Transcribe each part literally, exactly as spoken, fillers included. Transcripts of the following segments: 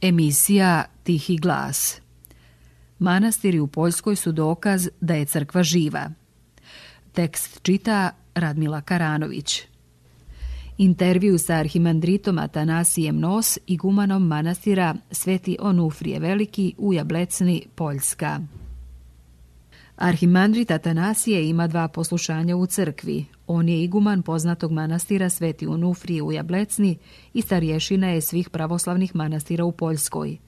Emisija Tihi glas. Manastiri u Poljskoj su dokaz da je crkva živa. Tekst čita Radmila Karanović. Intervju sa arhimandritom Atanasijem Nos, igumanom manastira Sveti Onufrije Veliki u Jablecni, Poljska. Arhimandrit Atanasije ima dva poslušanja u crkvi. On je iguman poznatog manastira Sveti Onufrije u Jablecni i starješina je svih pravoslavnih manastira u Poljskoj.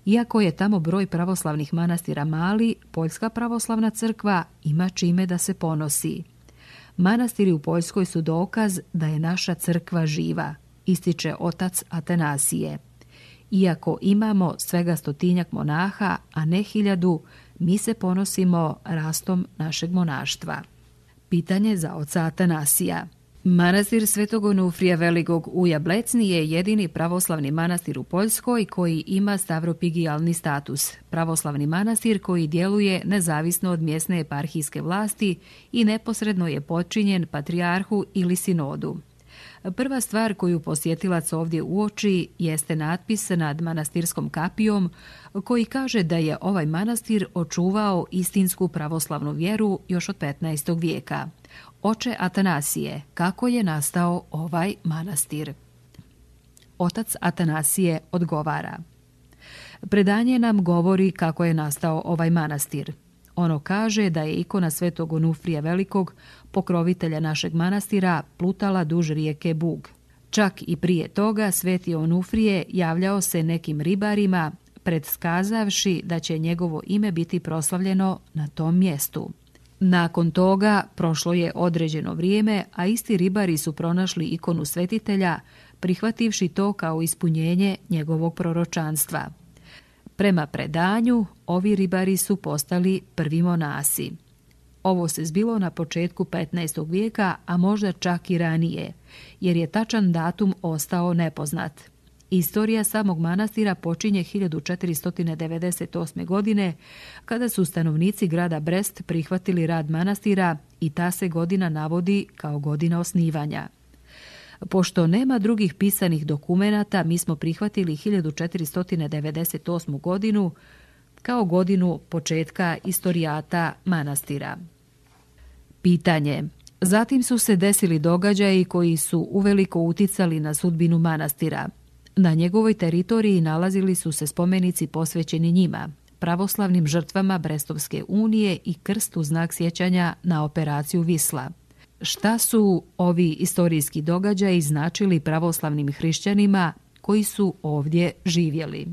Iako je tamo broj pravoslavnih manastira mali, Poljska pravoslavna crkva ima čime da se ponosi. Manastiri u Poljskoj su dokaz da je naša crkva živa, ističe otac Atanasije. Iako imamo svega stotinjak monaha, a ne hiljadu, mi se ponosimo rastom našeg monaštva. Pitanje za oca Atanasija. Manastir Svetog Onufrija Velikog u Jablecni je jedini pravoslavni manastir u Poljskoj koji ima stavropigijalni status. Pravoslavni manastir koji djeluje nezavisno od mjesne eparhijske vlasti i neposredno je podčinjen patrijarhu ili sinodu. Prva stvar koju posjetilac ovdje uoči jeste natpis nad manastirskom kapijom koji kaže da je ovaj manastir očuvao istinsku pravoslavnu vjeru još od petnaestog vijeka. Oče Atanasije, kako je nastao ovaj manastir? Otac Atanasije odgovara. Predanje nam govori kako je nastao ovaj manastir. Ono kaže da je ikona Svetog Onufrija Velikog, pokrovitelja našeg manastira, plutala duž rijeke Bug. Čak i prije toga Sveti Onufrije javljao se nekim ribarima, predskazavši da će njegovo ime biti proslavljeno na tom mjestu. Nakon toga prošlo je određeno vrijeme, a isti ribari su pronašli ikonu svetitelja, prihvativši to kao ispunjenje njegovog proročanstva. Prema predanju, ovi ribari su postali prvi monasi. Ovo se zbilo na početku petnaestog vijeka, a možda čak i ranije, jer je tačan datum ostao nepoznat. Istorija samog manastira počinje hiljadu četiristo devedeset osme. godine, kada su stanovnici grada Brest prihvatili rad manastira i ta se godina navodi kao godina osnivanja. Pošto nema drugih pisanih dokumenata, mi smo prihvatili hiljadu četiristo devedeset osmu. godinu kao godinu početka istorijata manastira. Pitanje. Zatim su se desili događaji koji su uveliko uticali na sudbinu manastira. Na njegovoj teritoriji nalazili su se spomenici posvećeni njima, pravoslavnim žrtvama Brestovske unije i krst u znak sjećanja na operaciju Visla. Šta su ovi istorijski događaji značili pravoslavnim hrišćanima koji su ovdje živjeli?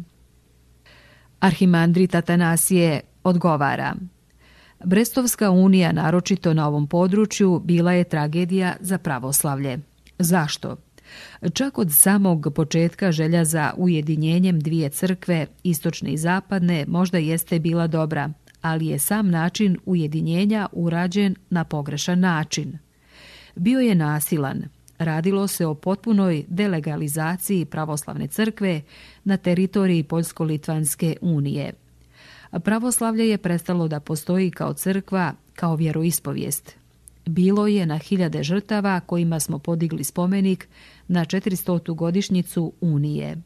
Arhimandrit Atanasije odgovara. Brestovska unija, naročito na ovom području, bila je tragedija za pravoslavlje. Zašto? Čak od samog početka želja za ujedinjenjem dvije crkve, istočne i zapadne, možda jeste bila dobra, ali je sam način ujedinjenja urađen na pogrešan način. Bio je nasilan. Radilo se o potpunoj delegalizaciji pravoslavne crkve na teritoriji Poljsko-Litvanske unije. Pravoslavlje je prestalo da postoji kao crkva, kao vjeroispovijest. Bilo je na hiljade žrtava kojima smo podigli spomenik na četiristotu godišnjicu Unije.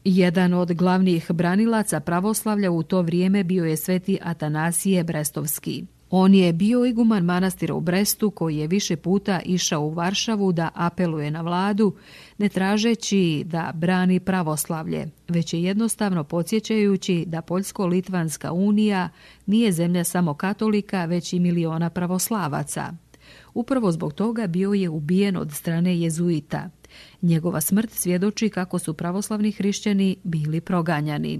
Jedan od glavnih branilaca pravoslavlja u to vrijeme bio je Sveti Atanasije Brestovski. On je bio iguman manastira u Brestu koji je više puta išao u Varšavu da apeluje na vladu, ne tražeći da brani pravoslavlje, već je jednostavno podsjećajući da Poljsko-Litvanska unija nije zemlja samo katolika, već i miliona pravoslavaca. Upravo zbog toga bio je ubijen od strane jezuita. Njegova smrt svjedoči kako su pravoslavni hrišćani bili proganjani.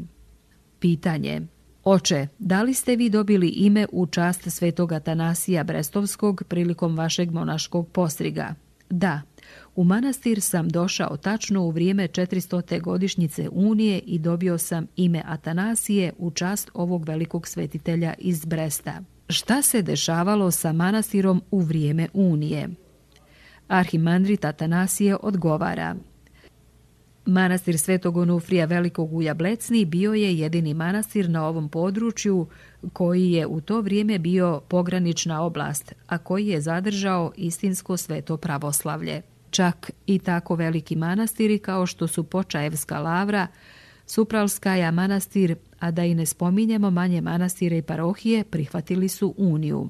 Pitanje. Oče, da li ste vi dobili ime u čast Svetog Atanasija Brestovskog prilikom vašeg monaškog postriga? Da, u manastir sam došao tačno u vrijeme četiristote godišnjice Unije i dobio sam ime Atanasije u čast ovog velikog svetitelja iz Bresta. Šta se dešavalo sa manastirom u vrijeme Unije? Arhimandrit Atanasije odgovara. Manastir Svetog Onufrija Velikog u Jablecni bio je jedini manastir na ovom području koji je u to vrijeme bio pogranična oblast, a koji je zadržao istinsko sveto pravoslavlje. Čak i tako veliki manastiri kao što su Počaevska lavra Supralskaja manastir, a da i ne spominjemo manje manastire i parohije, prihvatili su uniju.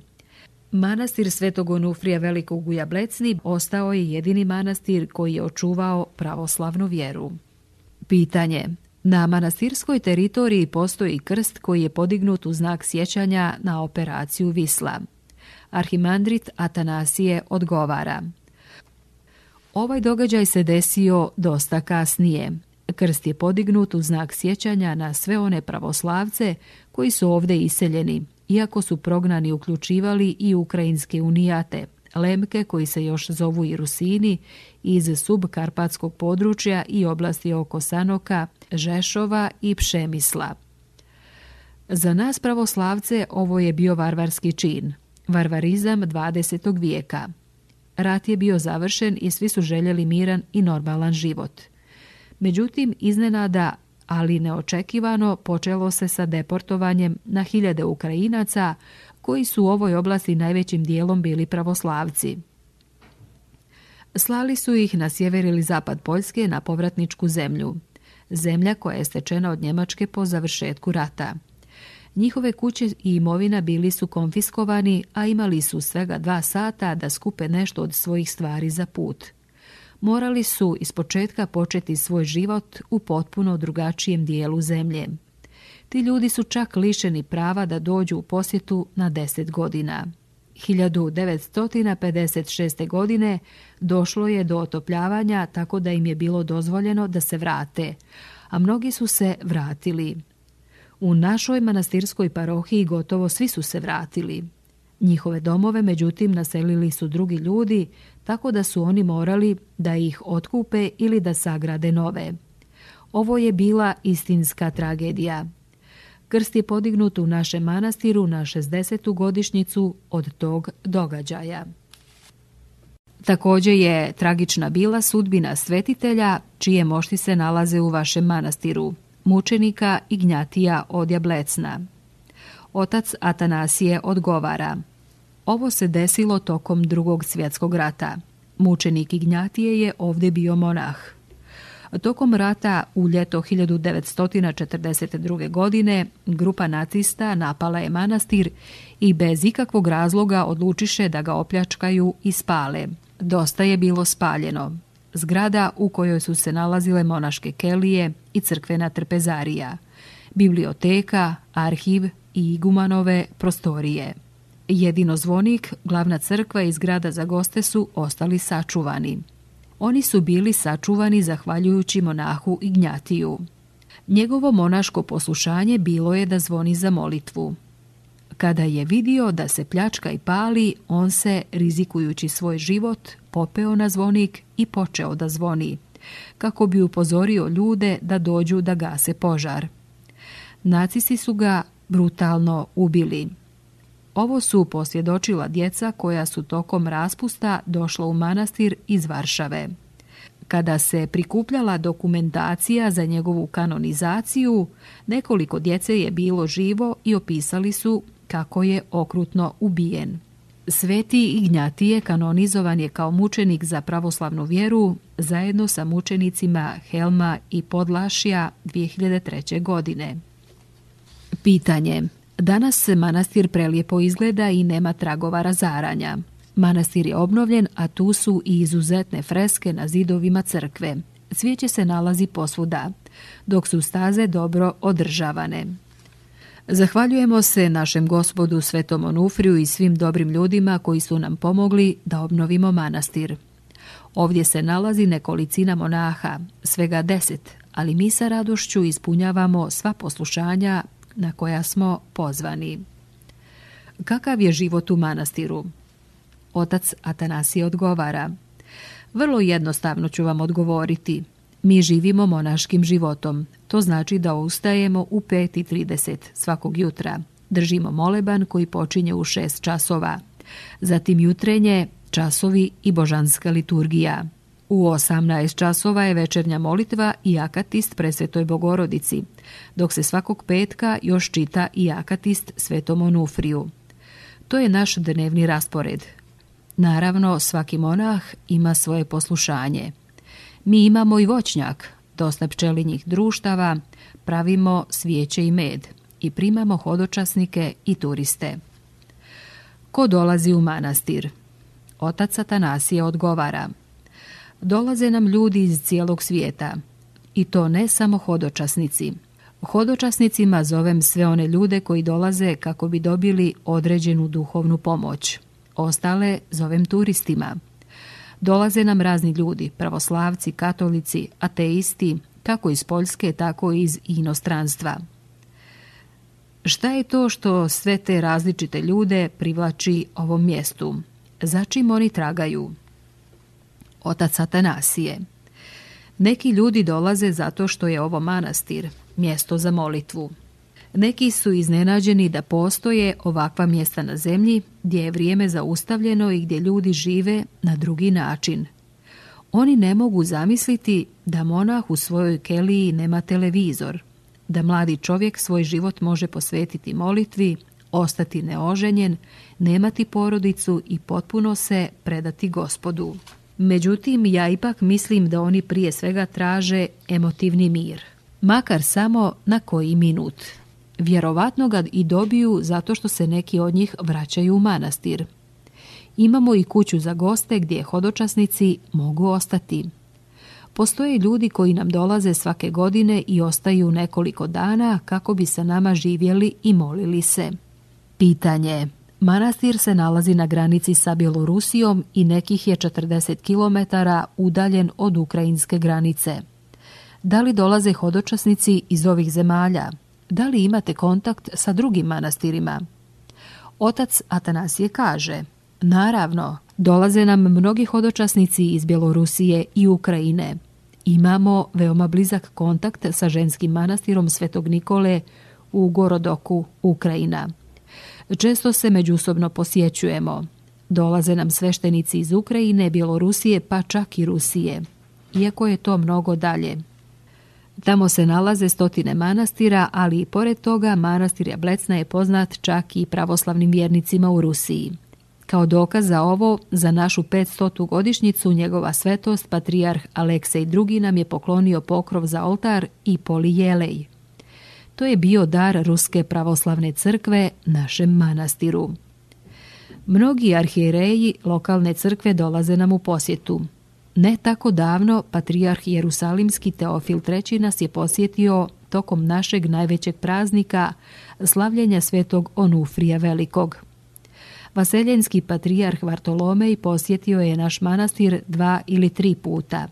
Manastir Svetog Onufrija Velikog u Jablecni ostao je jedini manastir koji je očuvao pravoslavnu vjeru. Pitanje. Na manastirskoj teritoriji postoji krst koji je podignut u znak sjećanja na operaciju Visla. Arhimandrit Atanasije odgovara. Ovaj događaj se desio dosta kasnije. Krst je podignut u znak sjećanja na sve one pravoslavce koji su ovdje iseljeni, iako su prognani uključivali i ukrajinske unijate, Lemke koji se još zovu i Rusini, iz subkarpatskog područja i oblasti oko Sanoka, Žešova i Pšemisla. Za nas pravoslavce ovo je bio varvarski čin, varvarizam dvadesetog vijeka. Rat je bio završen i svi su željeli miran i normalan život. Međutim, iznenada, ali neočekivano, počelo se sa deportovanjem na hiljade Ukrajinaca koji su u ovoj oblasti najvećim dijelom bili pravoslavci. Slali su ih na sjever ili zapad Poljske na povratničku zemlju, zemlja koja je stečena od Njemačke po završetku rata. Njihove kuće i imovina bili su konfiskovani, a imali su svega dva sata da skupe nešto od svojih stvari za put. Morali su ispočetka početi svoj život u potpuno drugačijem dijelu zemlje. Ti ljudi su čak lišeni prava da dođu u posjetu na deset godina. hiljadu devetsto pedeset šeste. godine došlo je do otopljavanja tako da im je bilo dozvoljeno da se vrate, a mnogi su se vratili. U našoj manastirskoj parohiji gotovo svi su se vratili. Njihove domove, međutim, naselili su drugi ljudi, tako da su oni morali da ih otkupe ili da sagrade nove. Ovo je bila istinska tragedija. Krst je podignut u našem manastiru na šezdesetu godišnjicu od tog događaja. Također je tragična bila sudbina svetitelja čije mošti se nalaze u vašem manastiru, mučenika Ignjatija od Jablecna. Otac Atanasije odgovara. Ovo se desilo tokom drugog svjetskog rata. Mučenik Ignjatije je ovdje bio monah. Tokom rata u ljeto hiljadu devetsto četrdeset druge. godine grupa nacista napala je manastir i bez ikakvog razloga odlučiše da ga opljačkaju i spale. Dosta je bilo spaljeno. Zgrada u kojoj su se nalazile monaške kelije i crkvena trpezarija, biblioteka, arhiv i igumanove prostorije. Jedino zvonik, glavna crkva i zgrada za goste su ostali sačuvani. Oni su bili sačuvani zahvaljujući monahu Ignjatiju. Njegovo monaško poslušanje bilo je da zvoni za molitvu. Kada je vidio da se pljačka i pali, on se, rizikujući svoj život, popeo na zvonik i počeo da zvoni, kako bi upozorio ljude da dođu da gase požar. Nacisti su ga brutalno ubili. Ovo su posvjedočila djeca koja su tokom raspusta došla u manastir iz Varšave. Kada se prikupljala dokumentacija za njegovu kanonizaciju, nekoliko djece je bilo živo i opisali su kako je okrutno ubijen. Sveti Ignjatije kanonizovan je kao mučenik za pravoslavnu vjeru zajedno sa mučenicima Helma i Podlašija dvije hiljade treće. godine. Pitanje. Danas se manastir prelijepo izgleda i nema tragova razaranja. Manastir je obnovljen, a tu su i izuzetne freske na zidovima crkve. Cvijeće se nalazi posvuda, dok su staze dobro održavane. Zahvaljujemo se našem Gospodu Svetom Onufriju i svim dobrim ljudima koji su nam pomogli da obnovimo manastir. Ovdje se nalazi nekolicina monaha, svega deset, ali mi sa radošću ispunjavamo sva poslušanja na koja smo pozvani. Kakav je život u manastiru? Otac Atanasije odgovara. Vrlo jednostavno ću vam odgovoriti. Mi živimo monaškim životom. To znači da ustajemo u pet i trideset svakog jutra. Držimo moleban koji počinje u šest časova. Zatim jutrenje, časovi i božanska liturgija. U osamnaest časova je večernja molitva i akatist Presvetoj Bogorodici, dok se svakog petka još čita i akatist Svetom Onufriju. To je naš dnevni raspored. Naravno, svaki monah ima svoje poslušanje. Mi imamo i voćnjak, dosta pčelinjih društava, pravimo svijeće i med i primamo hodočasnike i turiste. Ko dolazi u manastir? Otac Atanasije odgovara: dolaze nam ljudi iz cijelog svijeta, i to ne samo hodočasnici. Hodočasnicima zovem sve one ljude koji dolaze kako bi dobili određenu duhovnu pomoć. Ostale zovem turistima. Dolaze nam razni ljudi, pravoslavci, katolici, ateisti, kako iz Poljske, tako i iz inostranstva. Šta je to što sve te različite ljude privlači ovom mjestu? Za čim oni tragaju? Otac Atanasije: neki ljudi dolaze zato što je ovo manastir, mjesto za molitvu. Neki su iznenađeni da postoje ovakva mjesta na zemlji gdje je vrijeme zaustavljeno i gdje ljudi žive na drugi način. Oni ne mogu zamisliti da monah u svojoj keliji nema televizor, da mladi čovjek svoj život može posvetiti molitvi, ostati neoženjen, nemati porodicu i potpuno se predati Gospodu. Međutim, ja ipak mislim da oni prije svega traže emotivni mir, makar samo na koji minut. Vjerovatno ga i dobiju zato što se neki od njih vraćaju u manastir. Imamo i kuću za goste gdje hodočasnici mogu ostati. Postoje ljudi koji nam dolaze svake godine i ostaju nekoliko dana kako bi sa nama živjeli i molili se. Pitanje. Manastir se nalazi na granici sa Bjelorusijom i nekih je četrdeset kilometara udaljen od ukrajinske granice. Da li dolaze hodočasnici iz ovih zemalja? Da li imate kontakt sa drugim manastirima? Otac Atanasije kaže: naravno, dolaze nam mnogi hodočasnici iz Bjelorusije i Ukrajine. Imamo veoma blizak kontakt sa ženskim manastirom Svetog Nikole u Gorodoku, Ukrajina. Često se međusobno posjećujemo. Dolaze nam sveštenici iz Ukrajine, Bjelorusije, pa čak i Rusije. Iako je to mnogo dalje. Tamo se nalaze stotine manastira, ali i pored toga manastir Jablecna je poznat čak i pravoslavnim vjernicima u Rusiji. Kao dokaz za ovo, za našu petstotu godišnjicu njegova svetost, patrijarh Aleksej drugi nam je poklonio pokrov za oltar i polijelej. To je bio dar Ruske pravoslavne crkve našem manastiru. Mnogi arhijereji lokalne crkve dolaze nam u posjetu. Ne tako davno patrijarh Jerusalimski Teofil treći nas je posjetio tokom našeg najvećeg praznika, slavljenja svetog Onufrija Velikog. Vaseljenski patrijarh Vartolomej posjetio je naš manastir dva ili tri puta.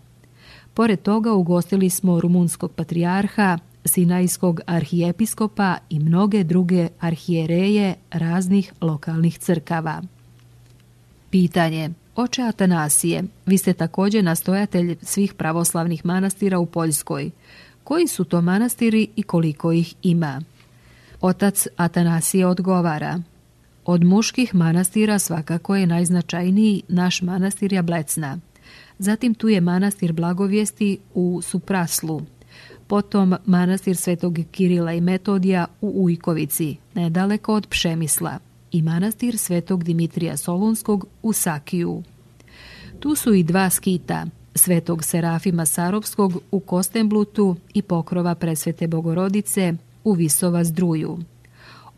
Pored toga ugostili smo rumunskog patrijarha, sinajskog arhijepiskopa i mnoge druge arhijereje raznih lokalnih crkava. Pitanje. Oče Atanasije, vi ste također nastojatelj svih pravoslavnih manastira u Poljskoj. Koji su to manastiri i koliko ih ima? Otac Atanasije odgovara: od muških manastira svakako je najznačajniji naš manastir Jablecna. Zatim tu je manastir Blagovijesti u Supraslu. Potom manastir Svetog Kirila i Metodija u Ujkovici, nedaleko od Pšemisla, i manastir Svetog Dimitrija Solunskog u Sakiju. Tu su i dva skita, Svetog Serafima Sarovskog u Kostenblutu i pokrova Presvete Bogorodice u Visova Zdruju.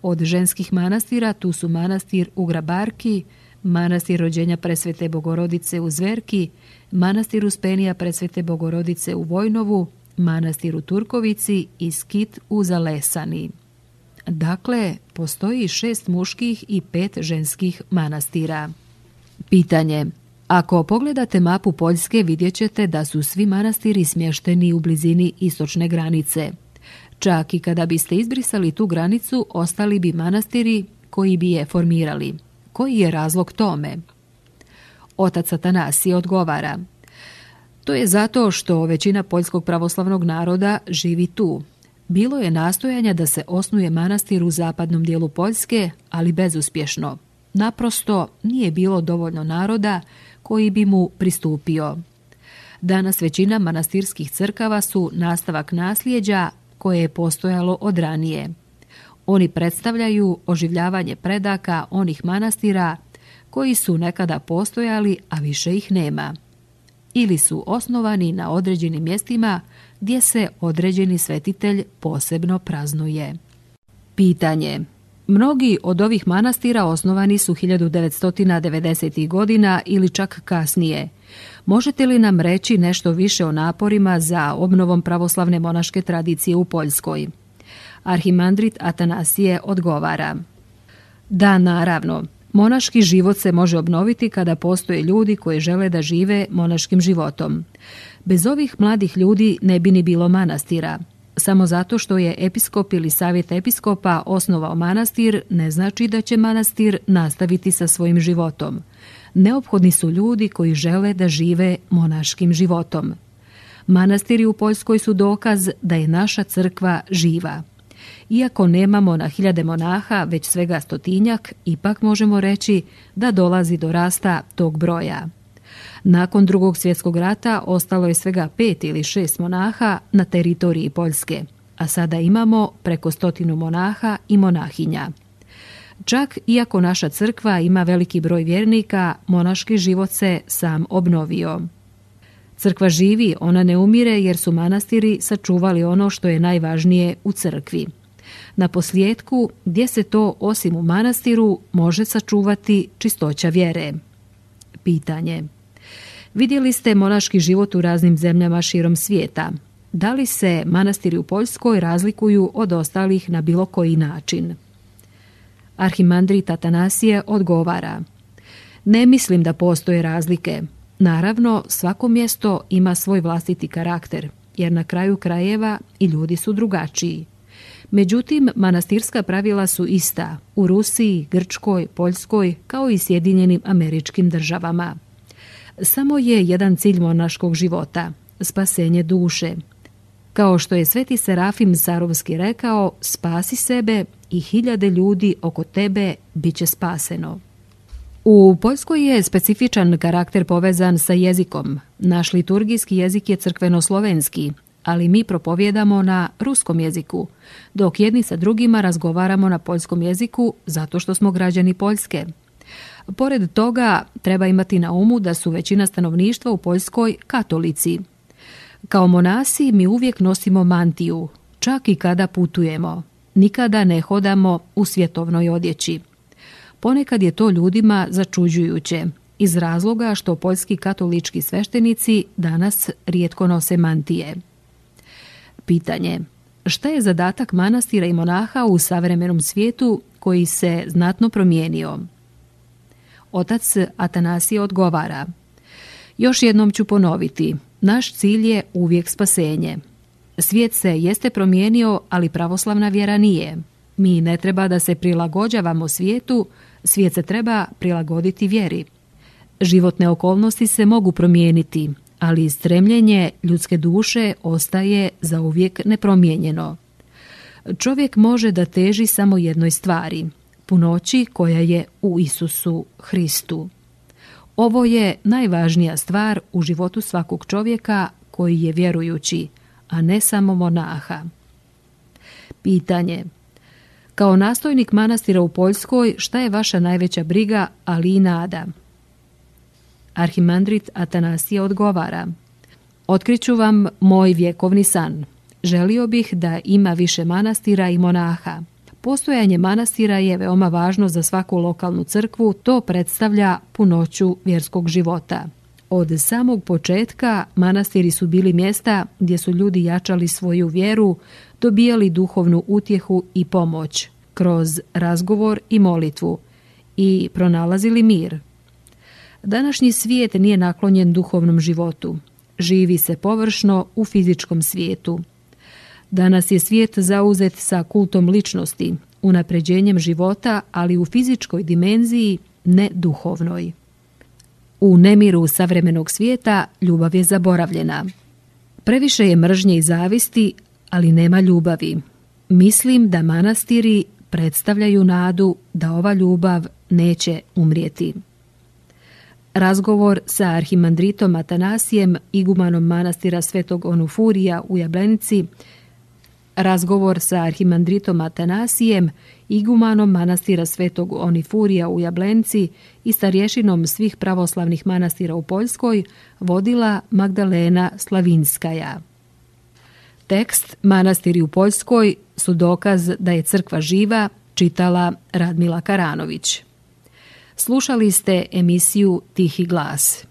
Od ženskih manastira tu su manastir u Grabarki, manastir rođenja Presvete Bogorodice u Zverki, manastir Uspenija Presvete Bogorodice u Vojnovu, manastir u Turkovici i skit u Zalesani. Dakle, postoji šest muških i pet ženskih manastira. Pitanje. Ako pogledate mapu Poljske, vidjet ćete da su svi manastiri smješteni u blizini istočne granice. Čak i kada biste izbrisali tu granicu, ostali bi manastiri koji bi je formirali. Koji je razlog tome? Otac Atanasije odgovara: to je zato što većina poljskog pravoslavnog naroda živi tu. Bilo je nastojanja da se osnuje manastir u zapadnom dijelu Poljske, ali bezuspješno. Naprosto nije bilo dovoljno naroda koji bi mu pristupio. Danas većina manastirskih crkava su nastavak nasljeđa koje je postojalo od ranije. Oni predstavljaju oživljavanje predaka onih manastira koji su nekada postojali, a više ih nema. ili su osnovani na određenim mjestima gdje se određeni svetitelj posebno praznuje. Pitanje. Mnogi od ovih manastira osnovani su hiljadu devetsto devedesetih godina ili čak kasnije. Možete li nam reći nešto više o naporima za obnovom pravoslavne monaške tradicije u Poljskoj? Arhimandrit Atanasije odgovara. Da, naravno. Monaški život se može obnoviti kada postoje ljudi koji žele da žive monaškim životom. Bez ovih mladih ljudi ne bi ni bilo manastira. Samo zato što je episkop ili savjet episkopa osnovao manastir ne znači da će manastir nastaviti sa svojim životom. Neophodni su ljudi koji žele da žive monaškim životom. Manastiri u Poljskoj su dokaz da je naša crkva živa. Iako nemamo na hiljade monaha, već svega stotinjak, ipak možemo reći da dolazi do rasta tog broja. Nakon Drugog svjetskog rata ostalo je svega pet ili šest monaha na teritoriji Poljske, a sada imamo preko stotinu monaha i monahinja. Čak iako naša crkva ima veliki broj vjernika, monaški život se sam obnovio. Crkva živi, ona ne umire jer su manastiri sačuvali ono što je najvažnije u crkvi. Na posljetku, gdje se to osim u manastiru može sačuvati čistoća vjere? Pitanje. Vidjeli ste monaški život u raznim zemljama širom svijeta. Da li se manastiri u Poljskoj razlikuju od ostalih na bilo koji način? Arhimandrit Atanasije odgovara. Ne mislim da postoje razlike. Naravno, svako mjesto ima svoj vlastiti karakter, jer na kraju krajeva i ljudi su drugačiji. Međutim, manastirska pravila su ista u Rusiji, Grčkoj, Poljskoj, kao i Sjedinjenim Američkim Državama. Samo je jedan cilj monaškog života – spasenje duše. Kao što je sveti Serafim Sarovski rekao, spasi sebe i hiljade ljudi oko tebe bit će spaseno. U Poljskoj je specifičan karakter povezan sa jezikom. Naš liturgijski jezik je crkveno-slovenski, ali mi propovjedamo na ruskom jeziku, dok jedni sa drugima razgovaramo na poljskom jeziku zato što smo građani Poljske. Pored toga, treba imati na umu da su većina stanovništva u Poljskoj katolici. Kao monasi mi uvijek nosimo mantiju, čak i kada putujemo. Nikada ne hodamo u svjetovnoj odjeći. Ponekad je to ljudima začuđujuće, iz razloga što poljski katolički sveštenici danas rijetko nose mantije. Pitanje. Šta je zadatak manastira i monaha u savremenom svijetu koji se znatno promijenio? Otac Atanasije odgovara. Još jednom ću ponoviti. Naš cilj je uvijek spasenje. Svijet se jeste promijenio, ali pravoslavna vjera nije. Mi ne treba da se prilagođavamo svijetu, svijet se treba prilagoditi vjeri. Životne okolnosti se mogu promijeniti, ali stremljenje ljudske duše ostaje zauvijek nepromijenjeno. Čovjek može da teži samo jednoj stvari, punoći koja je u Isusu Hristu. Ovo je najvažnija stvar u životu svakog čovjeka koji je vjerujući, a ne samo monaha. Pitanje. Kao nastojnik manastira u Poljskoj, šta je vaša najveća briga, ali i nada? Arhimandrit Atanasije odgovara. Otkriću vam moj vjekovni san. Želio bih da ima više manastira i monaha. Postojanje manastira je veoma važno za svaku lokalnu crkvu, to predstavlja punoću vjerskog života. Od samog početka manastiri su bili mjesta gdje su ljudi jačali svoju vjeru, dobijali duhovnu utjehu i pomoć kroz razgovor i molitvu i pronalazili mir. Današnji svijet nije naklonjen duhovnom životu. Živi se površno u fizičkom svijetu. Danas je svijet zauzet sa kultom ličnosti, unapređenjem života, ali u fizičkoj dimenziji, ne duhovnoj. U nemiru savremenog svijeta ljubav je zaboravljena. Previše je mržnje i zavisti, ali nema ljubavi. Mislim da manastiri predstavljaju nadu da ova ljubav neće umrijeti. Razgovor sa arhimandritom Atanasijem, igumanom manastira Svetog Onufurija u Jablenici, Razgovor sa arhimandritom Atanasijem, igumanom manastira Svetog Onifurija u Jablenci i starješinom svih pravoslavnih manastira u Poljskoj vodila Magdalena Slavinskaja. Tekst Manastiri u Poljskoj su dokaz da je crkva živa, čitala Radmila Karanović. Slušali ste emisiju Tihi glas.